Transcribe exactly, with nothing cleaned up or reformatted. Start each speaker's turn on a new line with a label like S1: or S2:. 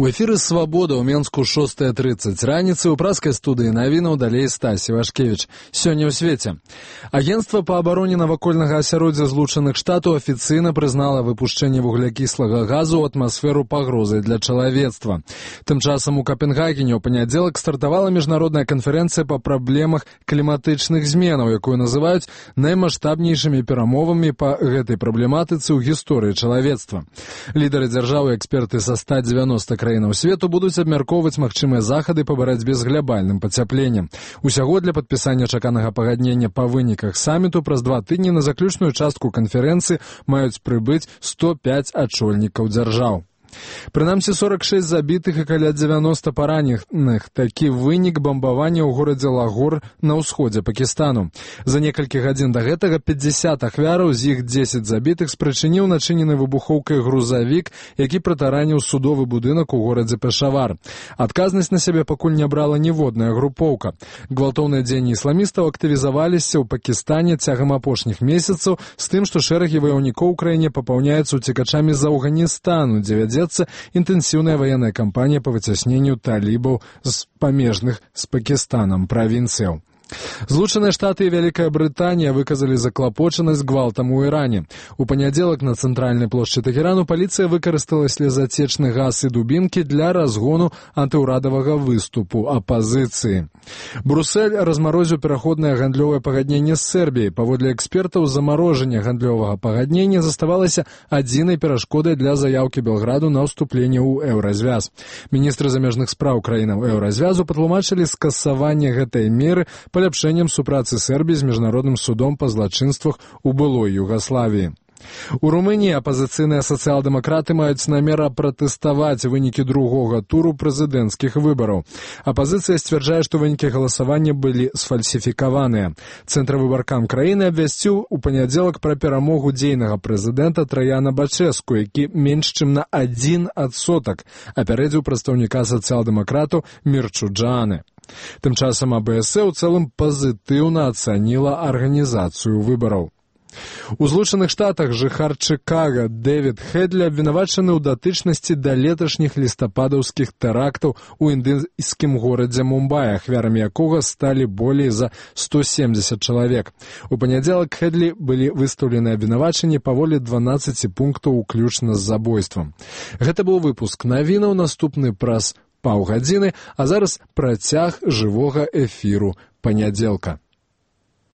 S1: У эфіры «Свабода» ў Менску шостая тридцать раніцы ў праскай студыі навінаў далей Стась Івашкевіч. Сёння ў свеце. Агенцтва па абароне навакольнага асяроддзя Злучаных Штатаў афіцыйна прызнала выпушчэнне вуглякіслага газу ў атмасферу пагрозай для чалавецтва. Тым часам у Капенгагене ў панядзелак стартавала міжнародная канферэнцыя па праблемах кліматычных зменаў, якую называюць наймаштабнейшымі перамовамі па гэтай праблематыцы ў гісторыі чалавецтва. Лідары дзяржаў і эксперты са ста дзевяноста краінаў свету будуць абмяркоўваць магчымыя захады па барацьбе з глябальным пацяпленнем. Усяго для падпісання чаканага пагаднення па выніках саміту праз два тыдні на заключную частку канферэнцыі маюць прыбыць сто пяць ачольнікаў дзяржаў. Прынамсі сорок шэсць забітых і каля дзевяноста параненых. Такі вынік бамбавання ў горадзе Лагор на ўсходзе Пакістану. За некалькі гадзін да гэтага пятьдесят ахвяраў, з іх дзесяць забітых спрычыніў начынены выбухоўкай грузавік, які прытараніў судовы будынак у горадзе Пешавар. Адказнасць на сябе пакуль не брала ніводная групоўка. Гвалтоўныя дзеянні ісламістаў актывізаваліся ў Пакістане цягам апошніх месяцаў з тым, што шэрагі ваяўнікоў у краіне папаўняюцца уцекачамі з Афганістану, дзе вядзе інтэнсіўная ваенная кампанія па выцясненню талібаў з памежных з Пакістанам правінцыяў. Злучаныя Штаты і Вялікая Брытанія выказалі заклапочанасць гвалтам у Іране. У панядзелак на цэнтральнай плошчы Тэхерану паліцыя выкарыстала слезацечны газ і дубінкі для разгону антыўрадавага выступу апазіцыі. Брусэль размарозіў пераходнае гандлёвае пагадненне з Сербіяй. Паводле экспертаў, замарожанне гандлёвага пагаднення заставалася адзінай перашкодай для заяўкі Белграду на ўступленне ў еўразвяз. Міністры замежных спраў краінаў еўразвязу патлумачылі скасаванне гэтай меры паляпшэннем супрацы Сербіі з міжнародным судом па злачынствах у былой Югаславіі. У Румыніі апазіцыйныя сацыял-дэмакраты маюць намер пратэставаць вынікі другога туру прэзідэнцкіх выбараў. Апазіцыя сцвярджае, што вынікі галасавання былі сфальсіфікаваныя. Цэнтравыбаркам краіны абвясціў у панядзелак пра перамогу дзейнага прэзідэнта Траяна Бачэску, які менш чым на адзін адсотак апярэдзіў прадстаўніка сацыял-дэмакратаў Мірчу Джааны. Тым часам а бэ эс э ў цэлым пазітыўна ацаніла арганізацыю выбараў. У Злучаных Штатах жыхар Чыкага Дэвід Хедлі абвінавачаны ў датычнасці да леташніх лістападаўскіх тэрактаў у індыйскім горадзе Мумбай, ахвярамі якога сталі болей за сто семьдесят чалавек. У панядзелак Хедлі былі выстаўлены абвінавачанні паволі дванаццаці пунктаў уключна з забойствам. Гэта быў выпуск навінаў, наступны праз паўгадзіны, а зараз працяг жывога эфіру панядзелка.